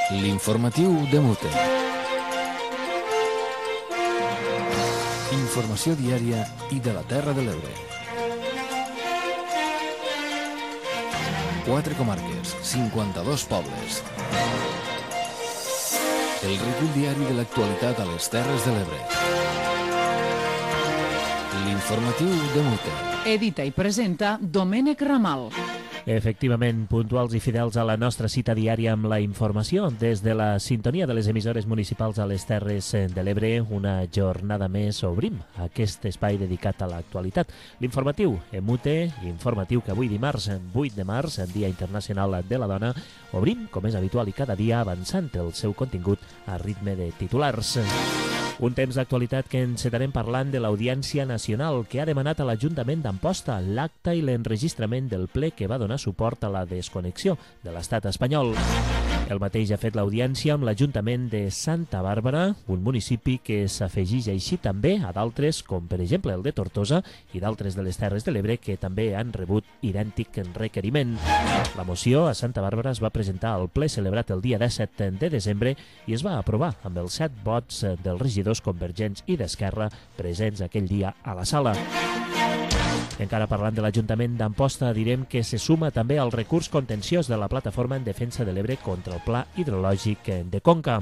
L'informatiu de Mute. Informació diària i de la Terra de l'Ebre. 4 comarques, 52 pobles. El recull diari de l'actualitat a les Terres de l'Ebre. L'informatiu de Mute. Edita i presenta Domènec Ramal. Efectivament, puntuals i fidels a la nostra cita diària amb la informació. Des de la sintonia de les emissores municipals a les Terres de l'Ebre, una jornada més obrim aquest espai dedicat a l'actualitat. L'informatiu EMUTE, informatiu que avui dimarts, 8 de març, Dia Internacional de la Dona, obrim, com és habitual i cada dia, avançant el seu contingut a ritme de titulars. Un temps d'actualitat que encetarem parlant de l'Audiència Nacional, que ha demanat a l'Ajuntament d'Amposta l'acta i l'enregistrament del ple que va donar suport a la desconnexió de l'estat espanyol. El mateix ha fet l'Audiència amb l'Ajuntament de Santa Bàrbara, un municipi que s'afegeix així també a d'altres, com per exemple el de Tortosa i d'altres de les Terres de l'Ebre, que també han rebut idèntic requeriment. La moció a Santa Bàrbara es va presentar al ple celebrat el dia 17 de desembre i es va aprovar amb els 7 vots dels regidors convergents i d'Esquerra presents aquell dia a la sala. Encara parlant de l'Ajuntament d'Amposta, direm que se suma també al recurs contenciós de la Plataforma en Defensa de l'Ebre contra el Pla Hidrològic de Conca.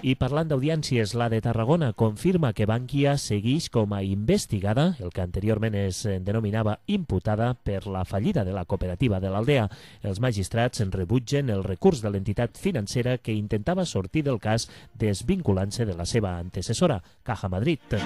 I parlant d'audiències, la de Tarragona confirma que Bankia segueix com a investigada, el que anteriorment es denominava imputada, per la fallida de la cooperativa de l'Aldea. Els magistrats rebutgen el recurs de l'entitat financera que intentava sortir del cas desvinculant-se de la seva antecessora, Caja Madrid.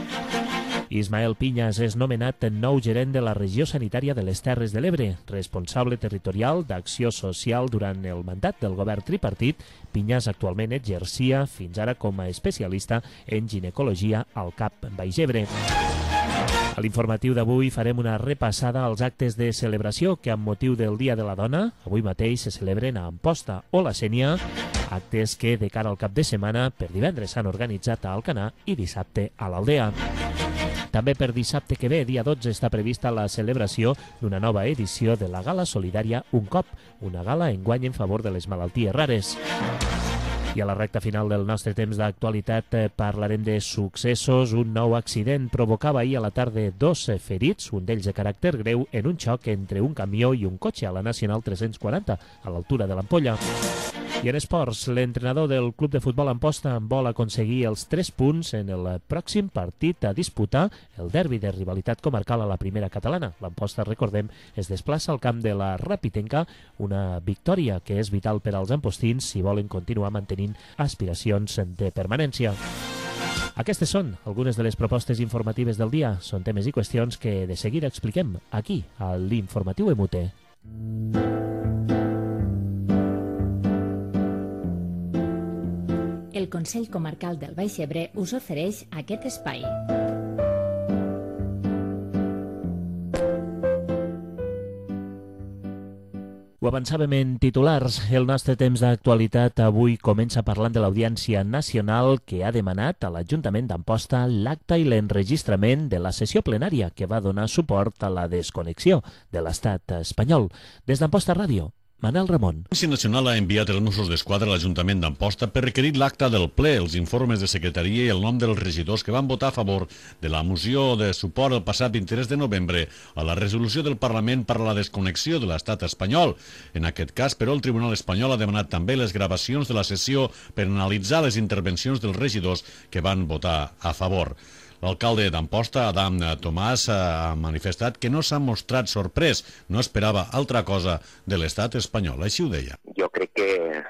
Ismael Piñas és nomenat nou gerent de la regió sanitària de les Terres de l'Ebre, responsable territorial d'acció social durant el mandat del govern tripartit. Piñas actualment exercia fins ara com a especialista en ginecologia al CAP Baix Ebre. A l'informatiu d'avui farem una repassada als actes de celebració que amb motiu del Dia de la Dona avui mateix se celebren a Amposta o la Sénia, actes que de cara al cap de setmana per divendres s'han organitzat a Alcanar i dissabte a l'Aldea. També per dissabte que ve, dia 12, està prevista la celebració d'una nova edició de la Gala Solidària Un Cop, una gala enguany en favor de les malalties rares. I a la recta final del nostre temps d'actualitat parlarem de successos. Un nou accident provocava ahir a la tarda 2 ferits, un d'ells de caràcter greu, en un xoc entre un camió i un cotxe a la Nacional 340, a l'altura de l'Ampolla. I en esports, l'entrenador del Club de Futbol Amposta vol aconseguir els 3 punts en el pròxim partit a disputar, el derbi de rivalitat comarcal a la primera catalana. L'Amposta, recordem, es desplaça al camp de la Rapitenca, una victòria que és vital per als ampostins si volen continuar mantenint aspiracions de permanència. Aquestes són algunes de les propostes informatives del dia. Són temes i qüestions que de seguida expliquem aquí, a l'Informatiu EMUTE. El Consell Comarcal del Baix Ebre us ofereix aquest espai. Ho avançàvem en titulars. El nostre temps d'actualitat avui comença parlant de l'Audiència Nacional que ha demanat a l'Ajuntament d'Amposta l'acta i l'enregistrament de la sessió plenària que va donar suport a la desconnexió de l'estat espanyol. Des d'Amposta Ràdio, Manel Ramon. L'Audiència Nacional ha enviat els Mossos d'Esquadra a l'Ajuntament d'Amposta per requerir l'acta del ple, els informes de secretaria i el nom dels regidors que van votar a favor de la moció de suport el passat 23 de novembre a la resolució del Parlament per a la desconnexió de l'estat espanyol. En aquest cas, però, el Tribunal Espanyol ha demanat també les gravacions de la sessió per analitzar les intervencions dels regidors que van votar a favor. L'alcalde d'Amposta, Adam Tomàs, ha manifestat que no s'ha mostrat sorprès, no esperava altra cosa de l'estat espanyol, així ho deia. Jo crec que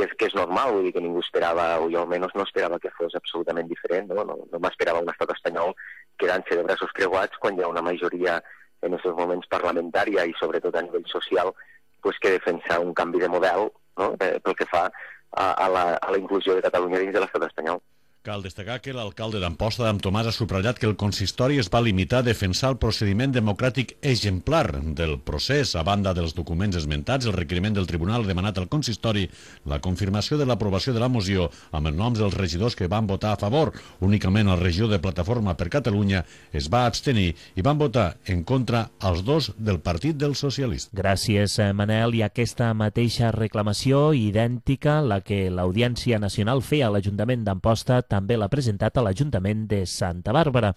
és normal, vull dir que ningú esperava, o jo almenys no esperava que fos absolutament diferent, no m'esperava un estat espanyol quedant-se de braços creuats quan hi ha una majoria en aquests moments parlamentària i sobretot a nivell social pues, que defensa un canvi de model, no? Pel que fa a la inclusió de Catalunya dins de l'estat espanyol. Cal destacar que l'alcalde d'Amposta, Adam Tomàs, ha subratllat que el consistori es va limitar a defensar el procediment democràtic exemplar del procés. A banda dels documents esmentats, el requeriment del tribunal ha demanat al consistori la confirmació de l'aprovació de la moció amb els noms dels regidors que van votar a favor. Únicament el regidor de Plataforma per Catalunya es va abstenir i van votar en contra els dos del Partit dels Socialistes. Gràcies, Manel. I aquesta mateixa reclamació idèntica, la que l'Audiència Nacional feia a l'Ajuntament d'Amposta, també l'ha presentat a l'Ajuntament de Santa Bàrbara.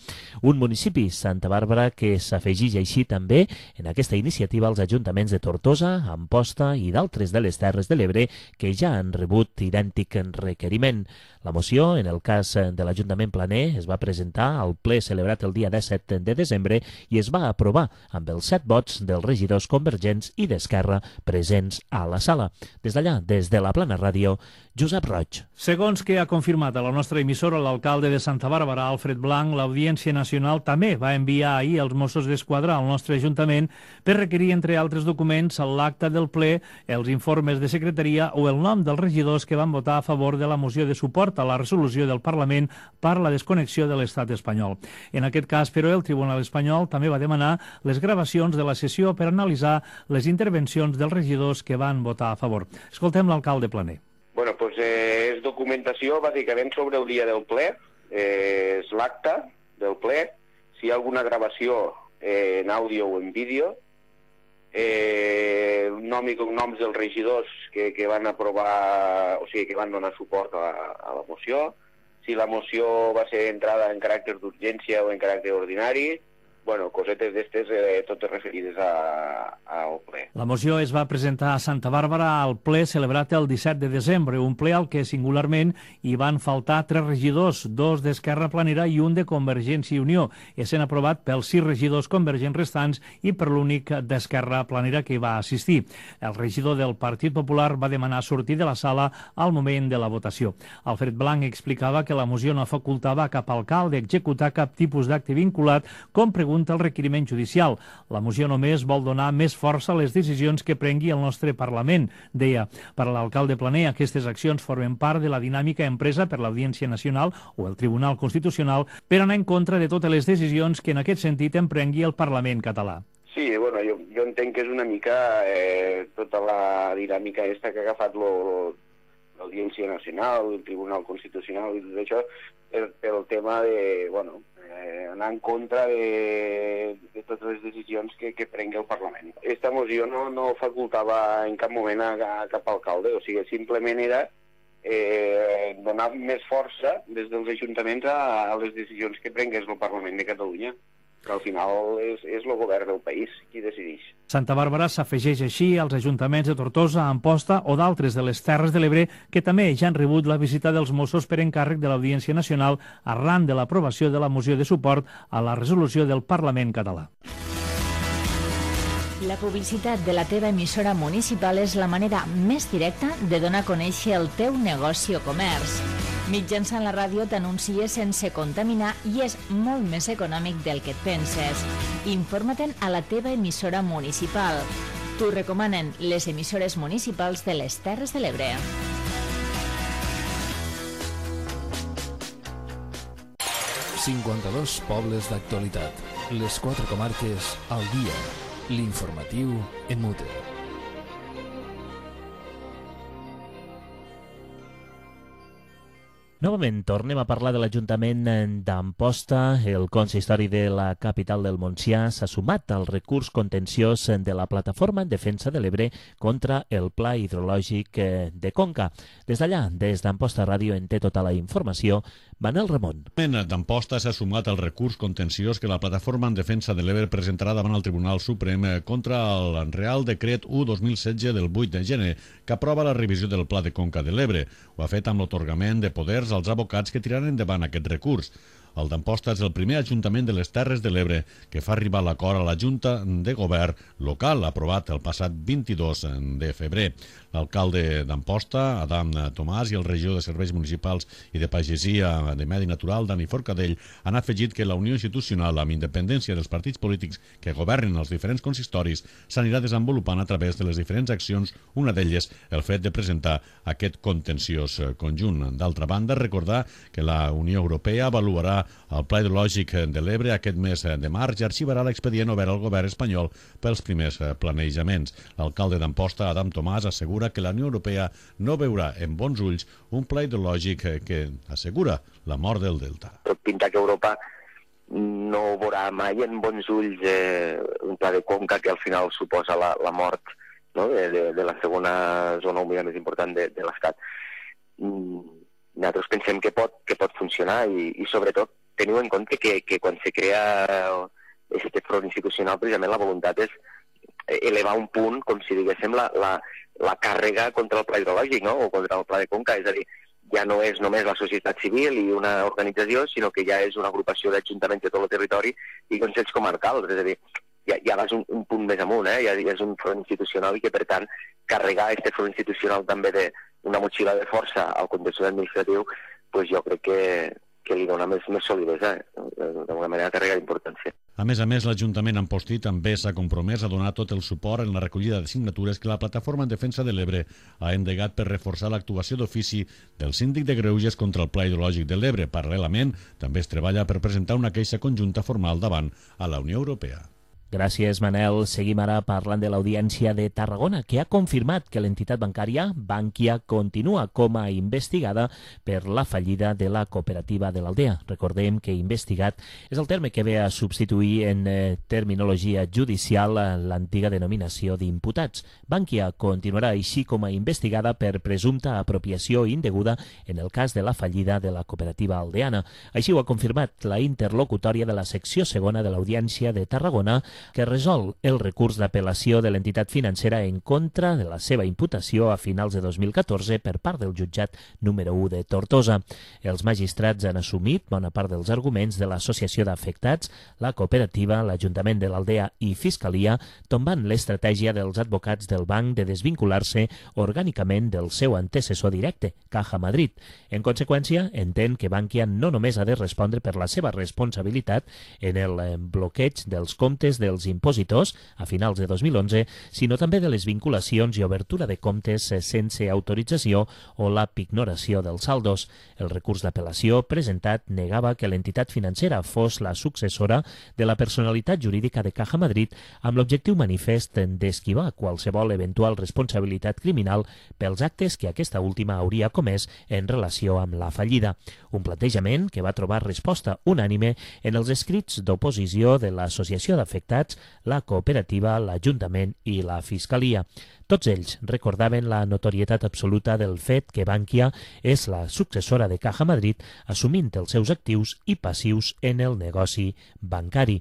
Un municipi, Santa Bàrbara, que s'afegeix així també en aquesta iniciativa als ajuntaments de Tortosa, Amposta i d'altres de les Terres de l'Ebre que ja han rebut idèntic requeriment. La moció, en el cas de l'Ajuntament Planer, es va presentar al ple celebrat el dia 17 de desembre i es va aprovar amb els 7 vots dels regidors convergents i d'Esquerra presents a la sala. Des d'allà, des de la Plana Ràdio, Josep Roig. Segons que ha confirmat a la nostra emissora l'alcalde de Santa Bàrbara, Alfred Blanc, l'Audiència Nacional també va enviar ahir els Mossos d'Esquadra al nostre Ajuntament per requerir, entre altres documents, l'acta del ple, els informes de secretaria o el nom dels regidors que van votar a favor de la moció de suport a la resolució del Parlament per la desconnexió de l'estat espanyol. En aquest cas, però, el Tribunal espanyol també va demanar les gravacions de la sessió per analitzar les intervencions dels regidors que van votar a favor. Escoltem l'alcalde Planer. Bueno, pues és documentació bàsicament sobre el dia del ple, és l'acta del ple, si hi ha alguna gravació en àudio o en vídeo, nom i cognoms dels regidors que van aprovar, o sigui, que van donar suport a la moció, si la moció va ser entrada en caràcter d'urgència o en caràcter ordinari, bueno, cosetes d'estes totes referides al ple. La moció es va presentar a Santa Bàrbara al ple celebrat el 17 de desembre, un ple al que singularment hi van faltar 3 regidors, 2 d'Esquerra Planera i un de Convergència i Unió, essent aprovat pels 6 regidors convergents restants i per l'únic d'Esquerra Planera que hi va assistir. El regidor del Partit Popular va demanar sortir de la sala al moment de la votació. Alfred Blanc explicava que la moció no facultava a cap alcalde executar cap tipus d'acte vinculat, com pregunta el requeriment judicial. La moció només vol donar més força a les decisions que prengui el nostre Parlament, deia. Per a l'alcalde Planer, aquestes accions formen part de la dinàmica empresa per l'Audiència Nacional o el Tribunal Constitucional per anar en contra de totes les decisions que en aquest sentit emprengui el Parlament català. Sí, bueno, jo entenc que és una mica tota la dinàmica aquesta que ha agafat l'Audiència Nacional, el Tribunal Constitucional i tot això, pel tema de, bueno, anar en contra de totes les decisions que prengui el Parlament. Aquesta moció no facultava en cap moment a cap alcalde, o sigui, simplement era donar més força des dels ajuntaments a les decisions que prengués el Parlament de Catalunya, que al final és el govern del país qui decideix. Santa Bàrbara s'afegeix així als ajuntaments de Tortosa, Amposta o d'altres de les Terres de l'Ebre que també ja han rebut la visita dels Mossos per encàrrec de l'Audiència Nacional arran de l'aprovació de la moció de suport a la resolució del Parlament català. La publicitat de la teva emissora municipal és la manera més directa de donar a conèixer el teu negoci o comerç. Mitjançant la ràdio t'anuncies sense contaminar i és molt més econòmic del que et penses. Informa-te'n a la teva emissora municipal. T'ho recomanen les emissores municipals de les Terres de l'Ebre. ...52 pobles d'actualitat. Les 4 comarques al dia. L'informatiu en mute. Novament tornem a parlar de l'Ajuntament d'Amposta. El consistori de la capital del Montsià s'ha sumat al recurs contenciós de la Plataforma en Defensa de l'Ebre contra el Pla Hidrològic de Conca. Des d'allà, des d'Amposta Ràdio, en té tota la informació Manel Ramon. D'Amposta s'ha sumat al recurs contenciós que la Plataforma en Defensa de l'Ebre presentarà davant el Tribunal Suprem contra el Real Decret 1/2016 del 8 de gener que aprova la revisió del Pla de Conca de l'Ebre. Ho ha fet amb l'atorgament de poders als advocats que tiraran endavant aquest recurs. El d'Amposta és el primer ajuntament de les Terres de l'Ebre que fa arribar l'acord a la Junta de Govern local aprovat el passat 22 de febrer. L'alcalde d'Amposta, Adam Tomàs, i el regidor de Serveis Municipals i de Pagesia de Medi Natural, Dani Forcadell, han afegit que la unió institucional amb independència dels partits polítics que governen els diferents consistoris s'anirà desenvolupant a través de les diferents accions, una d'elles el fet de presentar aquest contenciós conjunt. D'altra banda, recordar que la Unió Europea avaluarà el Pla Hidrològic de l'Ebre aquest mes de març i arxivarà l'expedient obert al govern espanyol pels primers planejaments. L'alcalde d'Amposta, Adam Tomàs, assegura que la Unió Europea no veurà en bons ulls un pla hidrològic que assegura la mort del delta. Tot pinta que Europa no veurà mai en bons ulls un pla de conca que al final suposa la mort, no?, de la segona zona humida més important de l'Estat. Nosaltres pensem que pot funcionar i sobretot teniu en compte que quan se crea aquest front institucional precisament la voluntat és elevar un punt, com si diguéssim, la càrrega contra el pla hidrològic, no?, o contra el pla de conca, és a dir, ja no és només la societat civil i una organització, sinó que ja és una agrupació d'ajuntaments de tot el territori i consells comarcals, és a dir, ja vas un punt més amunt, ja és un front institucional i que, per tant, carregar aquest front institucional també d'una motxilla de força al contenciós administratiu, doncs jo crec que li dona més solidesa, d'alguna manera carrega d'importància. A més, l'Ajuntament Ampostí també s'ha compromès a donar tot el suport en la recollida de signatures que la Plataforma en Defensa de l'Ebre ha endegat per reforçar l'actuació d'ofici del síndic de Greuges contra el Pla Hidrològic de l'Ebre. Paral·lelament, també es treballa per presentar una queixa conjunta formal davant a la Unió Europea. Gràcies, Manel. Seguim ara parlant de l'Audiència de Tarragona, que ha confirmat que l'entitat bancària Bankia continua com a investigada per la fallida de la cooperativa de l'Aldea. Recordem que investigat és el terme que ve a substituir en terminologia judicial l'antiga denominació d'imputats. Bankia continuarà així com a investigada per presumpta apropiació indeguda en el cas de la fallida de la cooperativa aldeana. Així ho ha confirmat la interlocutòria de la secció segona de l'Audiència de Tarragona, que resol el recurs d'apel·lació de l'entitat financera en contra de la seva imputació a finals de 2014 per part del jutjat número 1 de Tortosa. Els magistrats han assumit bona part dels arguments de l'associació d'afectats, la cooperativa, l'Ajuntament de l'Aldea i Fiscalia, tombant l'estratègia dels advocats del banc de desvincular-se orgànicament del seu antecessor directe, Caja Madrid. En conseqüència, entén que Bankia no només ha de respondre per la seva responsabilitat en el bloqueig dels comptes dels impositors a finals de 2011, sinó també de les vinculacions i obertura de comptes sense autorització o la pignoració dels saldos. El recurs d'apel·lació presentat negava que l'entitat financera fos la successora de la personalitat jurídica de Caja Madrid amb l'objectiu manifest d'esquivar qualsevol eventual responsabilitat criminal pels actes que aquesta última hauria comès en relació amb la fallida. Un plantejament que va trobar resposta unànime en els escrits d'oposició de l'Associació d'Afectats, la cooperativa, l'Ajuntament i la Fiscalia. Tots ells recordaven la notorietat absoluta del fet que Bankia és la successora de Caja Madrid, assumint els seus actius i passius en el negoci bancari.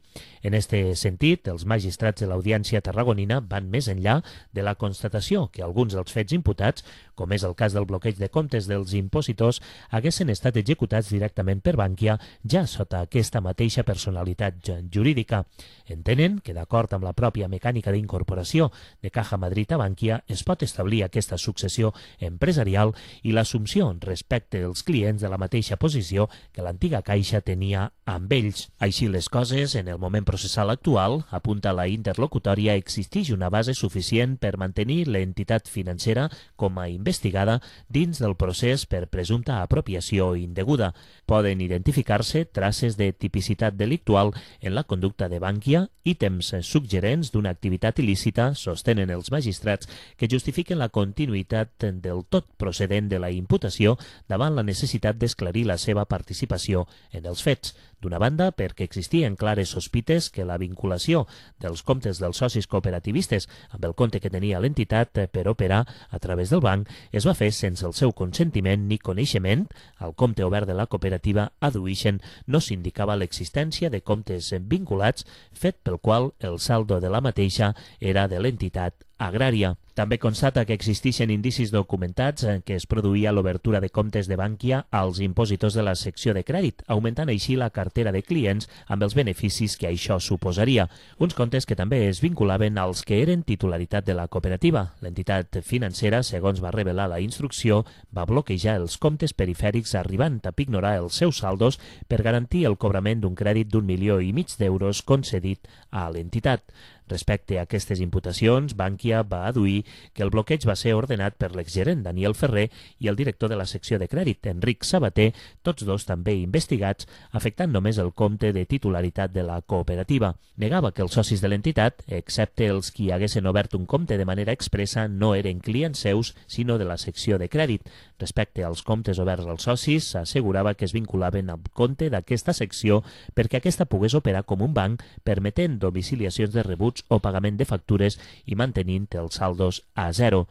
En este sentit, els magistrats de l'Audiència tarragonina van més enllà de la constatació que alguns dels fets imputats, com és el cas del bloqueig de comptes dels impositors, haguessin estat executats directament per Bankia ja sota aquesta mateixa personalitat jurídica. Entenen que, d'acord amb la pròpia mecànica d'incorporació de Caja Madrid a Bankia, es pot establir aquesta successió empresarial i l'assumpció respecte als clients de la mateixa posició que l'antiga Caixa tenia amb ells. Així les coses, en el moment processal actual, apunta la interlocutòria, existeix una base suficient per mantenir l'entitat financera com a investigada dins del procés per presumpta apropiació indeguda. Poden identificar-se traces de tipicitat delictual en la conducta de Bankia, ítems suggerents d'una activitat il·lícita, sostenen els magistrats, que justifiquen la continuïtat del tot procedent de la imputació davant la necessitat d'esclarir la seva participació en els fets. D'una banda, perquè existien clares sospites que la vinculació dels comptes dels socis cooperativistes amb el compte que tenia l'entitat per operar a través del banc es va fer sense el seu consentiment ni coneixement. Al compte obert de la cooperativa adduïxen no s'indicava l'existència de comptes vinculats, fet pel qual el saldo de la mateixa era de l'entitat agrària. També constata que existeixen indicis documentats en què es produïa l'obertura de comptes de Bankia als impositors de la secció de crèdit, augmentant així la cartera de clients amb els beneficis que això suposaria. Uns comptes que també es vinculaven als que eren titularitat de la cooperativa. L'entitat financera, segons va revelar la instrucció, va bloquejar els comptes perifèrics arribant a pignorar els seus saldos per garantir el cobrament d'un crèdit d'1,5 milions d'euros concedit a l'entitat. Respecte a aquestes imputacions, Bankia va aduir que el bloqueig va ser ordenat per l'exgerent Daniel Ferrer i el director de la secció de crèdit, Enric Sabater, tots dos també investigats, afectant només el compte de titularitat de la cooperativa. Negava que els socis de l'entitat, excepte els qui haguessin obert un compte de manera expressa, no eren clients seus, sinó de la secció de crèdit. Respecte als comptes oberts als socis, s'assegurava que es vinculaven al compte d'aquesta secció perquè aquesta pogués operar com un banc, permetent domiciliacions de rebuts o pagament de factures i mantenint els saldos a zero.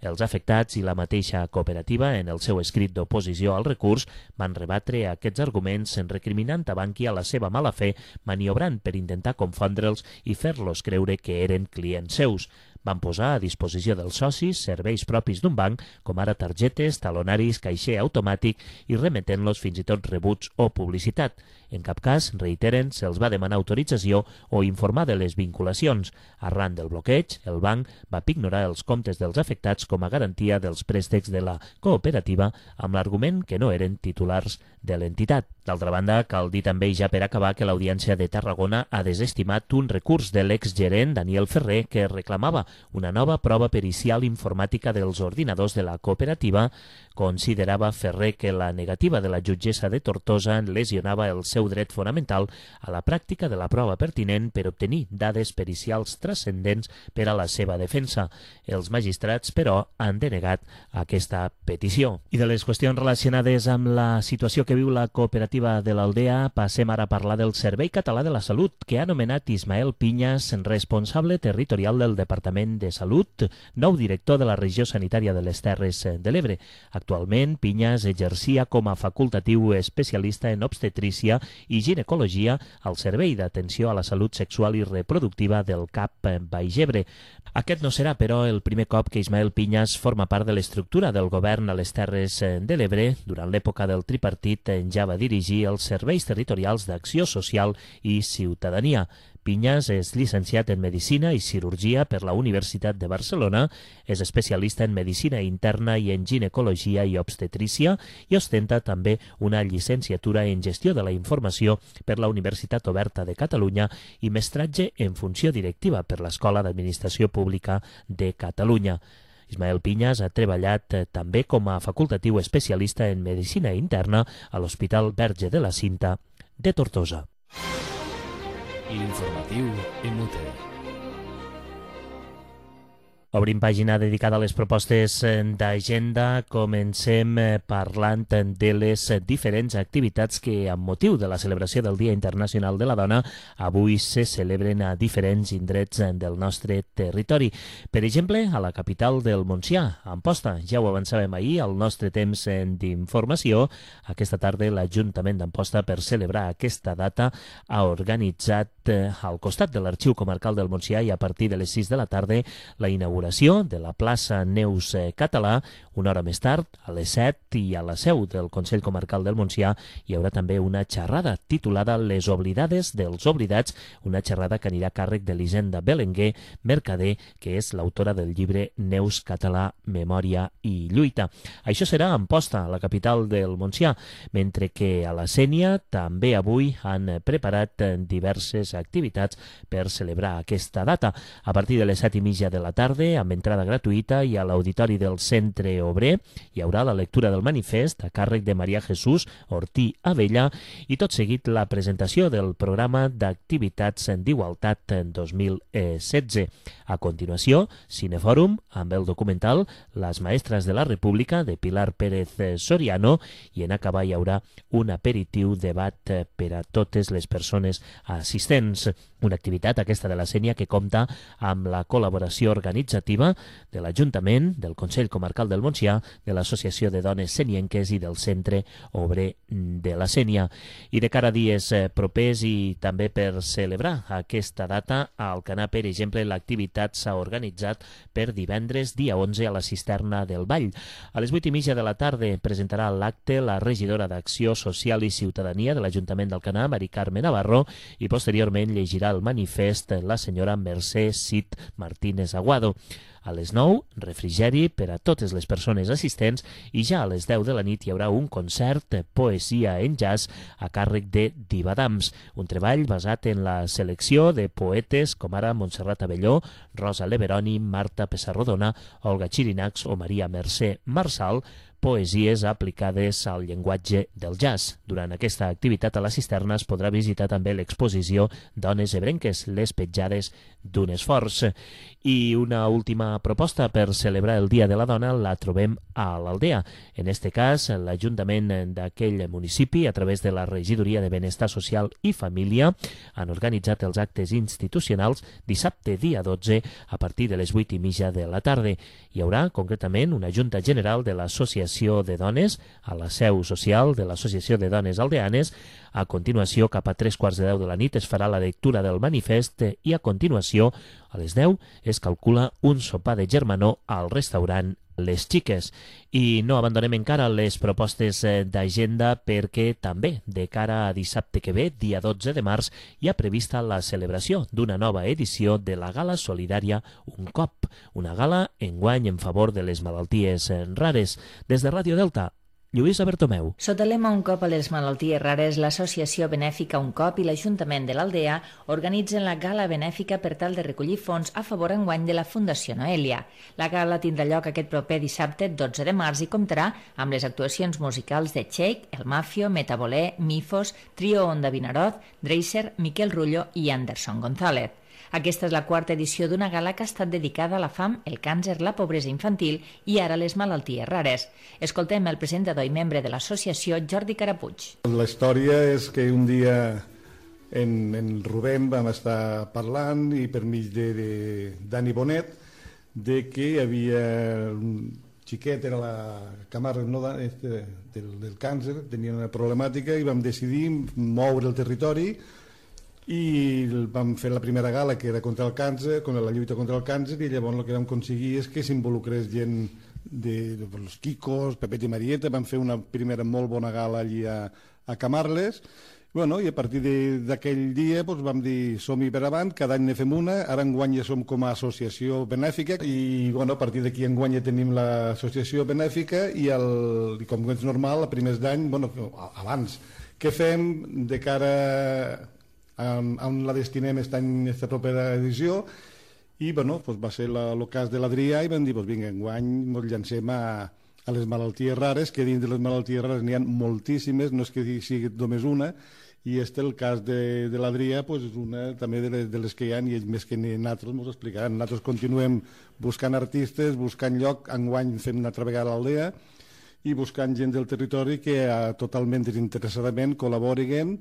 Els afectats i la mateixa cooperativa, en el seu escrit d'oposició al recurs, van rebatre aquests arguments recriminant a Bankia la seva mala fe, maniobrant per intentar confondre'ls i fer-los creure que eren clients seus. Van posar a disposició dels socis serveis propis d'un banc, com ara targetes, talonaris, caixer automàtic i remetent-los fins i tot rebuts o publicitat. En cap cas, reiteren, se'ls va demanar autorització o informar de les vinculacions. Arran del bloqueig, el banc va pignorar els comptes dels afectats com a garantia dels préstecs de la cooperativa amb l'argument que no eren titulars de l'entitat. D'altra banda, cal dir també ja per acabar que l'Audiència de Tarragona ha desestimat un recurs de l'exgerent Daniel Ferrer que reclamava una nova prova pericial informàtica dels ordinadors de la cooperativa. Considerava Ferrer que la negativa de la jutgessa de Tortosa lesionava el seu dret fonamental a la pràctica de la prova pertinent per obtenir dades pericials transcendents per a la seva defensa. Els magistrats, però, han denegat aquesta petició. I de les qüestions relacionades amb la situació que viu la cooperativa de l'Aldea, passem ara a parlar del Servei Català de la Salut, que ha nomenat Ismael Piñas responsable territorial del Departament de Salut, nou director de la regió sanitària de les Terres de l'Ebre. Actualment, Piñas exercia com a facultatiu especialista en obstetrícia i ginecologia al Servei d'Atenció a la Salut Sexual i Reproductiva del CAP Baix Ebre. Aquest no serà, però, el primer cop que Ismael Piñas forma part de l'estructura del govern a les Terres de l'Ebre. Durant l'època del tripartit ja va dirigir els serveis territorials d'Acció Social i Ciutadania. Piñas és llicenciat en Medicina i Cirurgia per la Universitat de Barcelona, és especialista en Medicina Interna i en Ginecologia i Obstetrícia i ostenta també una llicenciatura en Gestió de la Informació per la Universitat Oberta de Catalunya i mestratge en Funció Directiva per l'Escola d'Administració Pública de Catalunya. Ismael Piñas ha treballat també com a facultatiu especialista en Medicina Interna a l'Hospital Verge de la Cinta de Tortosa. L'informatiu Inútil. Obrim pàgina dedicada a les propostes d'agenda. Comencem parlant de les diferents activitats que, amb motiu de la celebració del Dia Internacional de la Dona, avui se celebren a diferents indrets del nostre territori. Per exemple, a la capital del Montsià, a Amposta. Ja ho avançàvem ahir al nostre temps d'informació. Aquesta tarda l'Ajuntament d'Amposta, per celebrar aquesta data, ha organitzat al costat de l'Arxiu Comarcal del Montsià i a partir de les 6 de la tarda la inauguració de la plaça Neus Català. Una hora més tard, a les 7, i a la seu del Consell Comarcal del Montsià hi haurà també una xerrada titulada Les oblidades dels oblidats, una xerrada que anirà a càrrec d'Elisenda Belenguer, mercader, que és l'autora del llibre Neus Català, Memòria i Lluita. Això serà a Amposta, a la capital del Montsià, mentre que a la Sénia també avui han preparat diverses activitats per celebrar aquesta data. A partir de les 7:30 de la tarda, amb entrada gratuïta, i a l'auditori del Centre Obrer hi haurà la lectura del manifest a càrrec de Maria Jesús Ortí Abella i tot seguit la presentació del programa d'activitats d'igualtat 2016. A continuació, Cinefòrum amb el documental Les maestres de la República de Pilar Pérez Soriano, i en acabar hi haurà un aperitiu debat per a totes les persones assistents. Una activitat, aquesta de la Sénia, que compta amb la col·laboració organitzativa operativa de l'Ajuntament, del Consell Comarcal del Montsià, de l'Associació de Dones Senienques i del Centre Obrer de la Sénia. I de cara a dies propers i també per celebrar aquesta data, a Alcanar, per exemple, l'activitat s'ha organitzat per divendres, dia 11, a la Cisterna del Vall. A les 8:30 de la tarda presentarà l'acte la regidora d'Acció Social i Ciutadania de l'Ajuntament d'Alcanar, Mari Carme Navarro, i posteriorment llegirà el manifest la senyora Mercè Cid Martínez Aguado. A les 9, refrigeri per a totes les persones assistents i ja a les 10 de la nit hi haurà un concert de poesia en jazz a càrrec de Diva Dams, un treball basat en la selecció de poetes com ara Montserrat Abelló, Rosa Leveroni, Marta Pessarrodona, Olga Chirinacs o Maria Mercè Marçal, poesies aplicades al llenguatge del jazz. Durant aquesta activitat a la cisterna es podrà visitar també l'exposició Dones ebrenques, les petjades d'un esforç. I una última proposta per celebrar el Dia de la Dona la trobem a l'Aldea. En este cas, l'Ajuntament d'aquell municipi, a través de la Regidoria de Benestar Social i Família, han organitzat els actes institucionals dissabte, dia 12, a partir de les 8:30 de la tarda. Hi haurà, concretament, una Junta General de l'Associació de Dones a la seu social de l'Associació de Dones Aldeanes. A continuació, cap a 3:15 de la nit, es farà la lectura del manifest i a continuació, a les 10, es calcula un sopar de germanor al restaurant Les Xiques. I no abandonem encara les propostes d'agenda perquè també, de cara a dissabte que ve, dia 12 de març, hi ha prevista la celebració d'una nova edició de la Gala Solidària Un Cop, una gala enguany en favor de les malalties rares. Des de Ràdio Delta, Lluïsa Bertomeu. Sota el lema Un cop a les malalties rares, l'associació benèfica Un cop i l'Ajuntament de l'Aldea organitzen la gala benèfica per tal de recollir fons a favor enguany de la Fundació Noelia. La gala tindrà lloc aquest proper dissabte 12 de març i comptarà amb les actuacions musicals de Cheik, El Mafio, Metabolé, Mifos, Trio Onda Vinaròs, Dreiser, Miquel Rullo i Anderson González. Aquesta és la quarta edició d'una gala que ha estat dedicada a la fam, el càncer, la pobresa infantil i ara les malalties rares. Escoltem el presentador i membre de l'associació, Jordi Carapuig. La història és que un dia en Rubén vam estar parlant i per mig de Dani Bonet de que hi havia un xiquet, era la Camarga del càncer, tenia una problemàtica i vam decidir moure el territori i vam fer la primera gala que era contra el càncer, la lluita contra el càncer, i llavors el que vam aconseguir és que s'involucrés gent dels Quicos, Pepet i Marieta. Vam fer una primera molt bona gala allí a Camarles. I a partir d'aquell dia vam dir som-hi per avant, cada any ne fem una, ara enguany ja som com a associació benèfica i a partir d'aquí enguany ja tenim l'associació benèfica i com és normal, a primers d'any, abans, què fem de cara on la destinem aquesta propera edició, i va ser el cas de l'Adrià i vam dir, vinga, enguany ens llancem a les malalties rares, que dins de les malalties rares n'hi ha moltíssimes, no és que sigui només una, i el cas de l'Adrià és una també de les que hi ha, i ells més que nosaltres ens ho explicaran. Nosaltres continuem buscant artistes, buscant lloc, enguany fem una altra vegada a l'Aldea, i buscant gent del territori que totalment desinteressadament col·laboriguen,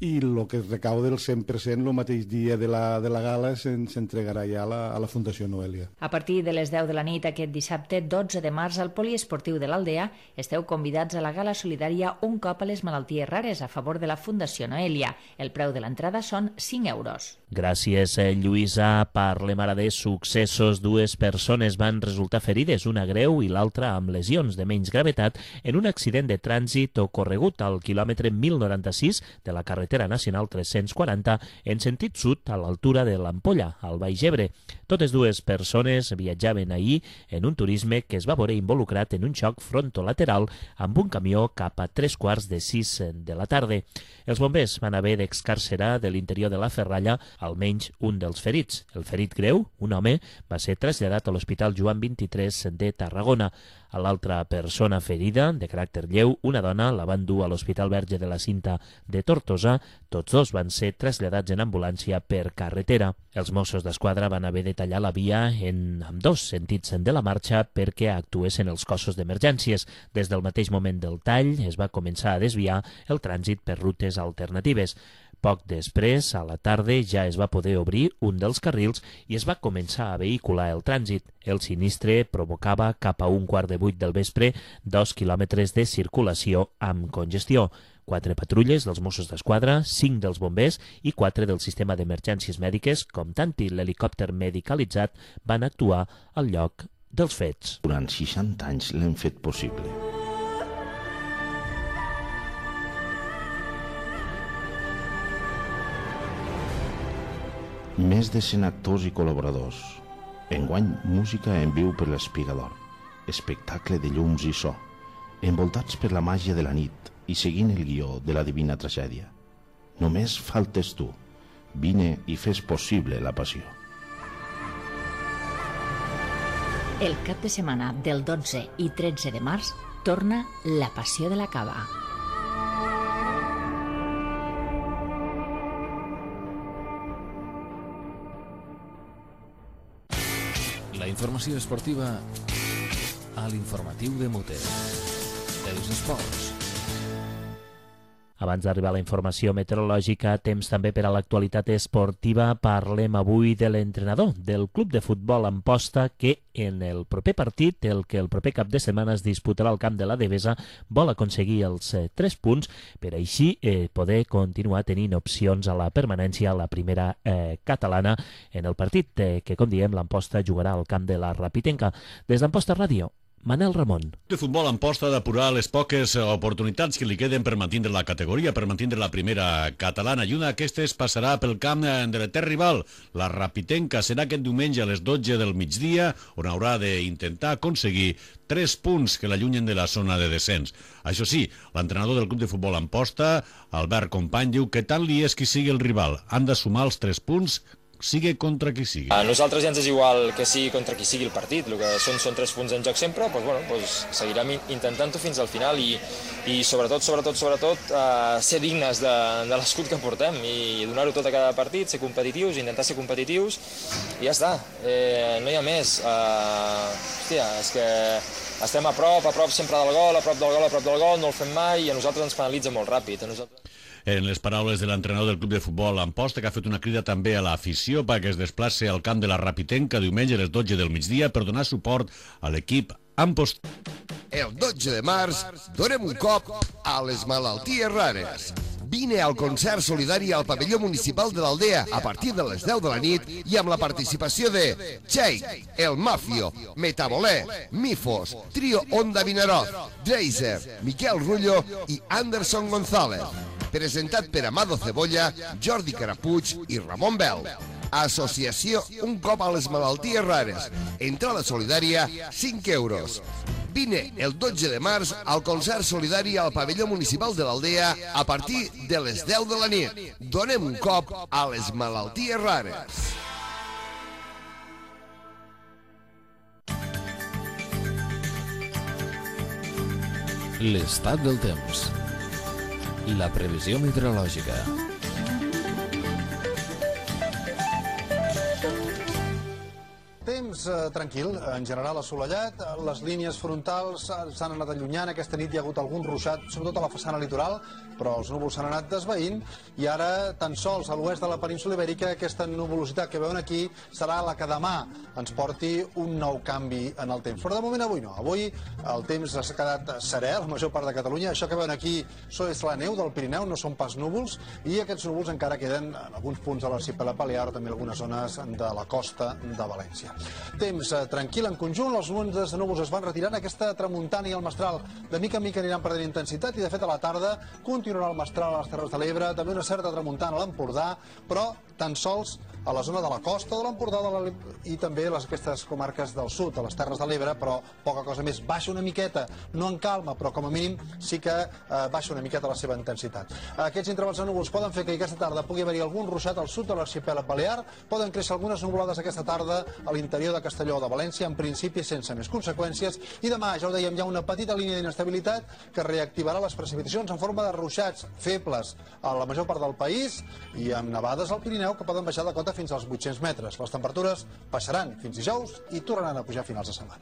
i el que es recauda el 100% el mateix dia de la gala s'entregarà ja a la Fundació Noelia. A partir de les 10 de la nit aquest dissabte 12 de març al Poliesportiu de l'Aldea esteu convidats a la gala solidària Un cop a les malalties rares a favor de la Fundació Noelia. El preu de l'entrada són 5 euros. Gràcies, Lluïsa. Parlem ara de successos. 2 persones van resultar ferides, una greu i l'altra amb lesions de menys gravetat, en un accident de trànsit ocorregut al quilòmetre 1096 de la carretera nacional 340 en sentit sud a l'altura de l'Ampolla, al Baix Ebre. Totes 2 persones viatjaven ahir en un turisme que es va veure involucrat en un xoc frontolateral amb un camió cap a 3:45 de la tarda. Els bombers van haver d'excarcerar de l'interior de la ferralla almenys un dels ferits. El ferit greu, un home, va ser traslladat a l'Hospital Joan 23 de Tarragona. A l'altra persona ferida, de caràcter lleu, una dona, la van dur a l'Hospital Verge de la Cinta de Tortosa. Tots 2 van ser traslladats en ambulància per carretera. Els Mossos d'Esquadra van haver de tallar la via en ambdós sentits de la marxa perquè actuessin els cossos d'emergències. Des del mateix moment del tall es va començar a desviar el trànsit per rutes alternatives. Poc després, a la tarda, ja es va poder obrir un dels carrils i es va començar a vehicular el trànsit. El sinistre provocava cap a 7:15 del vespre 2 quilòmetres de circulació amb congestió. 4 patrulles dels Mossos d'Esquadra, 5 dels bombers i 4 del sistema d'emergències mèdiques, comptant-hi l'helicòpter medicalitzat, van actuar al lloc dels fets. Durant 60 anys l'hem fet possible. Més de 100 actors i col·laboradors. Enguany, música en viu per l'Espigador. Espectacle de llums i so. Envoltats per la màgia de la nit i seguint el guió de la Divina Tragèdia. Només faltes tu. Vine i fes possible la passió. El cap de setmana del 12 i 13 de març torna la Passió de la Cava. La informació esportiva a l'informatiu de Mote. Els esports. Abans d'arribar a la informació meteorològica, temps també per a l'actualitat esportiva. Parlem avui de l'entrenador del club de futbol Amposta que en el proper partit, el que el proper cap de setmana es disputarà al camp de la Devesa, vol aconseguir els 3 punts per així poder continuar tenint opcions a la permanència a la primera catalana en el partit que, com diem, l'Amposta jugarà al camp de la Rapitenca. Des d'Amposta Ràdio, Manel Ramon. El futbol Amposta ha d'apurar les poques oportunitats que li queden per mantindre la categoria, per mantindre la primera catalana, i una d'aquestes passarà pel camp de l'etern rival, la Rapitenca. Serà aquest diumenge a les 12 del migdia, on haurà d'intentar aconseguir 3 punts que l'allunyen de la zona de descens. Això sí, l'entrenador del club de futbol Amposta, Albert Company, diu que tant li és qui sigui el rival. Han de sumar els 3 punts sigui contra qui sigui. A nosaltres ja ens és igual que sigui contra qui sigui el partit, el que són 3 punts en joc sempre, seguirem intentant-ho fins al final i sobretot ser dignes de l'escut que portem i donar-ho tot a cada partit, ser competitius, intentar ser competitius i ja està, no hi ha més. Hòstia, és que estem a prop sempre del gol, a prop del gol, no el fem mai i a nosaltres ens penalitza molt ràpid. En les paraules de l'entrenador del club de futbol Amposta, que ha fet una crida també a l'afició perquè es desplaci al camp de la Rapitenca diumenge a les 12 del migdia per donar suport a l'equip Amposta. El 12 de març donem un cop a les malalties rares. Vine al concert solidari al pavelló municipal de l'Aldea a partir de les 10 de la nit i amb la participació de Jake, El Mafio, Metabolé, Mifos, Trio Onda Vinaroz, Dreiser, Miquel Rullo i Anderson González. Presentat per Amado Cebolla, Jordi Carapuig i Ramon Bel. Associació Un cop a les malalties rares. Entrada solidària, 5 euros. Vine el 12 de març al concert solidari al pavelló municipal de l'Aldea a partir de les 10 de la nit. Donem un cop a les malalties rares. L'estat del temps. La previsió meteorològica. Temps tranquil, en general assolellat, les línies frontals s'han anat allunyant, aquesta nit hi ha hagut algun ruixat, sobretot a la façana litoral, però els núvols s'han anat desvaint i ara tan sols a l'oest de la península ibèrica aquesta nuvolositat que veuen aquí serà la que demà ens porti un nou canvi en el temps. Però de moment avui no, avui el temps s'ha quedat serè a la major part de Catalunya, això que veuen aquí és la neu del Pirineu, no són pas núvols i aquests núvols encara queden en alguns punts de l'arxipèlag balear o també algunes zones de la costa de València. Temps tranquil en conjunt, els munts de núvols es van retirant, aquesta tramuntana i el mestral de mica en mica aniran perdent intensitat i de fet a la tarda continuarà el mestral a les Terres de l'Ebre, també una certa tramuntana a l'Empordà, però tan sols a la zona de la costa de l'Empordà i també aquestes comarques del sud, a les Terres de l'Ebre, però poca cosa més. Baixa una miqueta, no en calma, però com a mínim sí que baixa una miqueta la seva intensitat. Aquests intervals de núvols poden fer que aquesta tarda pugui haver-hi algun ruixat al sud de l'arxipèlag balear, poden créixer algunes nuvolades aquesta tarda a l'interior de Castelló o de València, en principi sense més conseqüències, i demà, ja ho dèiem, hi ha una petita línia d'inestabilitat que reactivarà les precipitacions en forma de ruixats febles a la major part del país i amb nevades al Pirineu que poden baixar de cota fins als 800 metres. Les temperatures baixaran fins dijous i tornaran a pujar a finals de setmana.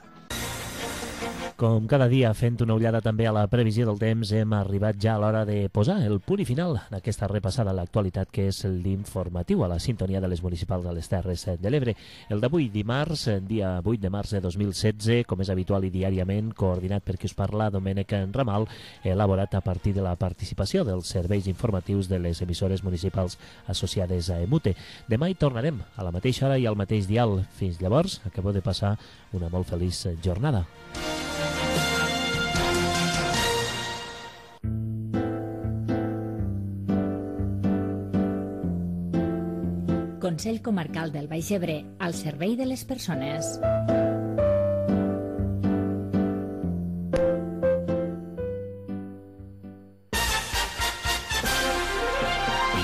Com cada dia, fent una ullada també a la previsió del temps, hem arribat ja a l'hora de posar el punt i final d'aquesta repassada a l'actualitat, que és l'informatiu a la sintonia de les municipals de les Terres de l'Ebre. El d'avui, dimarts, dia 8 de març de 2016, com és habitual i diàriament, coordinat per qui us parla, Domènec Ramal, elaborat a partir de la participació dels serveis informatius de les emissores municipals associades a EMUTE. Demà hi tornarem a la mateixa hora i al mateix dial. Fins llavors, acabeu de passar una molt feliç jornada. Consell Comarcal del Baix Ebre, al servei de les persones.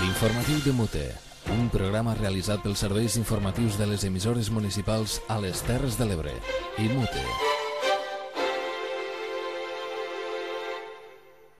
L'informatiu de Mute, un programa realitzat pels serveis informatius de les emissores municipals a les Terres de l'Ebre i Mute.